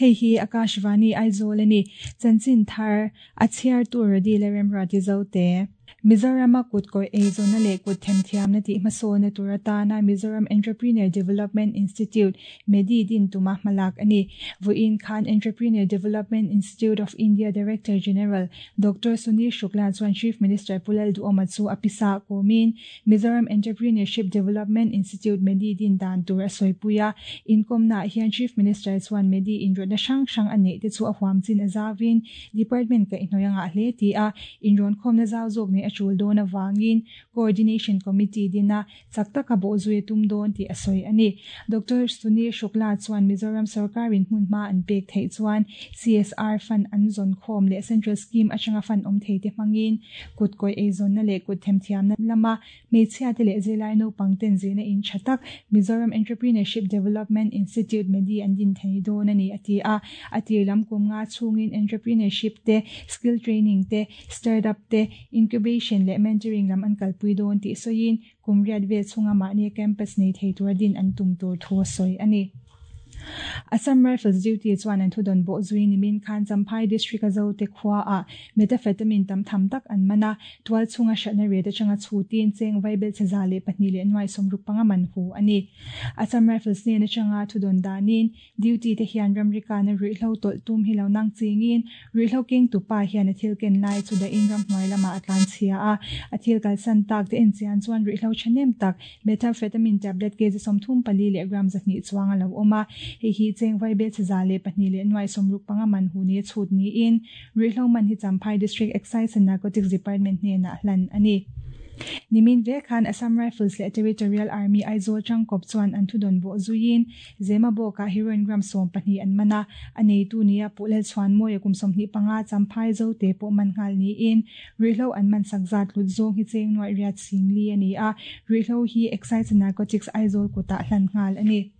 Hei hi Akashvani Aizawl a ni. Chanchin thar a chhiartu Rody leh Remruati Zote. Mizorama kutkawih eizawnna leh kut themthiamna tih hmasawnna tur atana Mizoram Entrepreneur Development Institute, MEDI, din tuma hmalak a ni. Vawiin khan Entrepreneur Development Institute of India Director General Doctor Sunil Shukla chuan Chief Minister Pu Lalduhoma chu a pisa kawmin Mizoram Entrepreneurship Development Institute, MEDI, din dan tur a sawipui a. Inkawmnaah hian Chief Minister chuan MEDI inrawtna hrang hrang a neih te chu a huam chin a zauin Department kaihhnawih a ngah hle ti a, inrawnkhawmna zau zawk nei a tul dawn avangin Coordination Committee dina chak taka bawhzui a tum dawn tih a sawi a ni. Doctor Sunil Shukla chuan Mizoram sorkarin hmunhma an pek theih chuan CSR fund an zawn khawm leh Central Scheme atanga fund awm thei te hmangin kutkawih eizawnna leh kut themthiamna lama Hmeichhiate leh zirlai naupang ten zirna in tha tak Mizoram Entrepreneurship Development Institute, MEDI, an din thei dawn a ni, a ti a. A tir lam kum nga chhungin entrepreneurship te, skill training te, startup te, incubation leh mentoring lam an kalpui dawn tih sawiin kum riat vel chhunga mahni campus nei thei tura din an tum tur thu a sawi a ni. Assam Rifles duty chuan an thudawn bawh zui nimin khan Champhai District a Zote khuaah methamphetamine tam tham tak an man a, tual chhunga hratna ret atanga chhutin cheng vaibel che 102.65 man hu a ni. Assam Rifles hnen atanga thudawn danin duty te hian ramrikana ruihhlo tawlh tum hi lo nang chingin ruihhlo keng tupa hian a thil ken lai chu dahin ramhnuai lamah a tlan chhia a, a thil kalsan tak te enchian chuan ruihhlo thahnem tak Methamphetamine tablet kg 34 leh gram 200 chuang a lo awm a, hei hi cheng vaibel che 102.65 man hu ni a chhut niin ruihhlo man hi Champhai District Excise and Narcotics Department hnenah hlan a ni. Nimin vek khan Assam Rifles leh Territorial Army Aizawl tangkawp chuan an thudawn bawh zuiin Zemabawkah heroin gram 12 an man a, a neitu nia Pu Lalchhuanmawia kum 25 Champhai Zote pawh man nghal niin Ruihhlo an man sak zat hlut zawng hi cheng nuaih riat sing li a ni a, ruihhlo hi Excise and Narcotics Aizawl kutah hlan nghal a ni.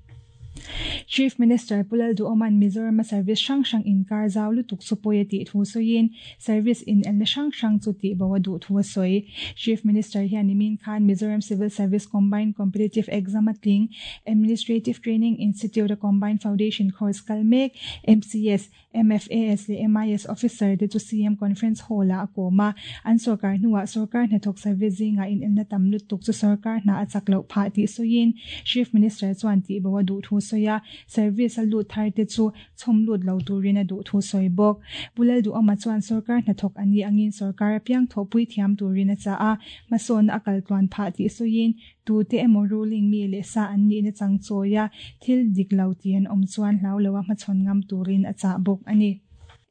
Chief Minister Pu Lalduhoma'n Mizorama service hrang hrang inkar zau lutuk chu pawi a tih thu sawiin service inelna hrang hrang chu tihbo a duh thu a sawi. Chief Minister hian nimin khan Mizoram Civil Service Combined Competitive Exam a tling Administrative Training Institute a Combined Foundation Course kal mek, MCS, MFAS leh MIS officer te chu CM Conference Hall-ah a kawm a, an sorkar hnuah sorkar hnathawk service zingah inelna tam lutuk chu sorkar hna a chak loh phah tih sawiin Chief Minister chuan tihbo a duh thu sawi a, service a lut thar te chu chhawm lut lo turin a duh thu sawi bawk. Pu Lalduhawma chuan sorkar hnathawk a nih angin sorkar apiang thawhpui thiam turin a chah a, hmasawnna a kal tluan phah tih sawiin Tute emaw ruling mi leh sa an nihna chang chawi a, thil dik lo tih an awm chuan hlau lo a hmachhawn ngam turin a chah bawk a ni.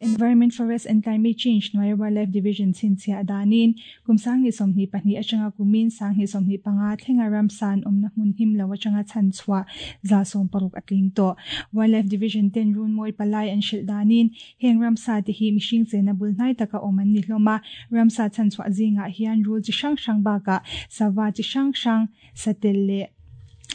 Environment, Forest and Climate Change hnuaia Wildlife Division chhinchhiah danin kum 2022 atanga kumin 2025 thlenga ramsa an awmna hmun him lo atanga chhan chhuah 60% a tling tawh. Wildlife Division ten runmawi palai an hrilh danin Heng ramsa te hi mihring chena bul hnai taka awm an ni hlawm a, ramsa chhanchhuah zingah hian rul chi hrang hrang bakah sava chi hrang hrang, satel leh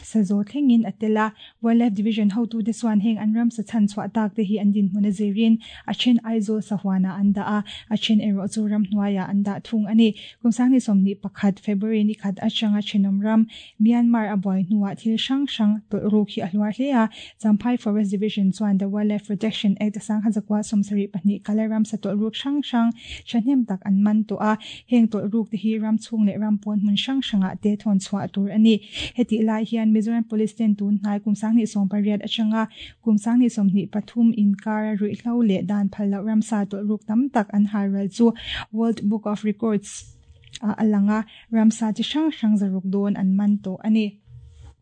sazaw thlengin a tel a. Wildlife Division hotute chuan heng an ramsa chhanchhuah tak te hi an dinhmun a zirin a then Aizawl sahuanah an dah a, a then erawh chu ramhnuaiah an dah thung a ni. Kum 2021 February ni khat atanga thenawm ram Myanmar a buai hnuah thil hrang hrang tawlh ruk hi a hluar hle a, Champhai Forest Division chuan The Wildlife Protection Act a 1972 kala ramsa tawlh ruk hrang hrang thahnem tak an man tawh a, heng tawlh ruk te hi ram chhung leh ram pawn hmun hrang hrangah te thawn chhuah tur a ni. Hetih lai hian Mizoram Police ten tun hnai kum 2018 atanga kum 2023 inkara ruihhlo leh dan phal loh ramsa tawlh ruk tam tak an halral chu World Book of Records ah a lang a, Ramsa chi hrang hrang zaruk dawn an man tawh a ni.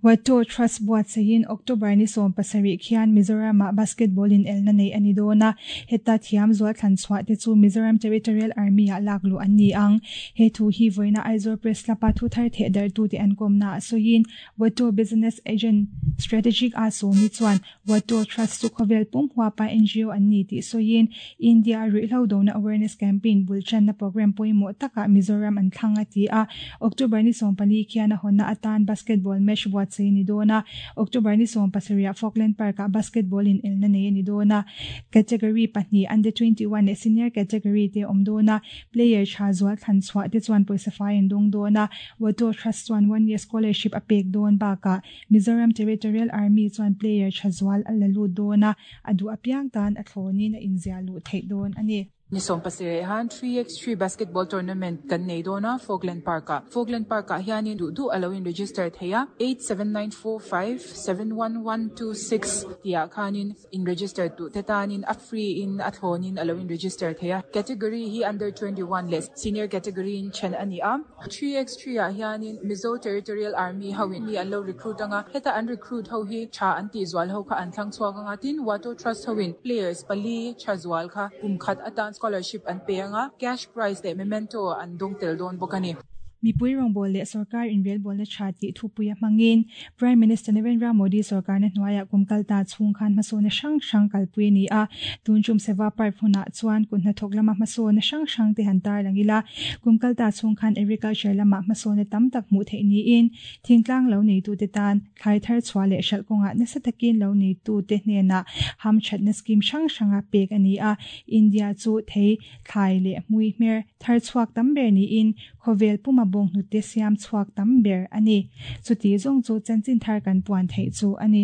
Wato Trust buatsaihin October ni 17 khian Mizoram-ah basketball inelna neih a ni dawn a, heta thiam zual thlan chhuah te chu Mizoram Territorial Army-ah lak luh an ni ang. He thu hi vawiina Aizawl Press Club-a thu thar theh darhtute an kawmnaah sawiin Wato Business Agent Strategic a sawmi chuan Wato Trust chu khawvel pum huapa NGO an ni tih sawiin India ruihhlo dona awareness campaign bul channa programme pawimawh takah Mizoram an thlang a ti a. October ni 14 khian a hawnna atan basketball match buatsaih. buatsaih a ni dawn a. October ni 17 ah Falkland Park-ah Basketball inelna nei a ni dawn a. Category pahnih, Under 21 leh Senior category te a awm dawn a. Player tha zual thlan chhuah te chuan pawisa fai an dawng dawn a. Wato Trust chuan one year scholarship a pek dawn bakah Mizoram Territorial Army chuan player tha zual a la lut dawn a, a duh apiang tan a thlawnin a inziah luh theih dawn a ni. Ni 17 han 3x3 Basketball Tournament kan nei dawn a, Falkland Park-ah. Falkland Park-ah hianin duh duh a lo in-register thei a, 8794571126 tihah khanin in-register duh te tanin a free in a thlawnin a lo in-register thei a. Category hi Under 21 leh Senior Category in then a ni a. 3x3 ah hianin Mizo Territorial Army ho in mi an lo recruit anga, heta an recruit ho hi tha an tih zual ho kha an thlang chhuak anga, tin Wato Trust ho in players pali tha zual kha kum khat atan scholarship an pe anga, cash prize leh memento an dawng tel dawn bawk a ni. Mipui rawngbâwl leh sawrkar inrelbawlna tha tih thupui a hmangin Prime Minister Narendra Modi sawrkarna hnuaiah kum kal ta chhung khan hmasawnna hrang hrang kalpui a ni a. Tun tum Seva Parv hunah chuan kut hnathawk lama hmasawnna hrang hrang te han tarlang ila, kum kal ta chhung khan agriculture lamah hmasawnna tam tak hmuh theih niin thingtlang lo neitute tan thlai thar chhuah leh hralh kawngah nasa takin lo neitute hnenah hamthatna scheme hrang hranga pek a ni a. India chu thei, thlai leh hmui hmer thar chhuak tam ber niin Khawvel puma bawnghnute siam chhuak tam ber a ni. Chuti zawng chu chanchin thar kan puan theih chu a ni.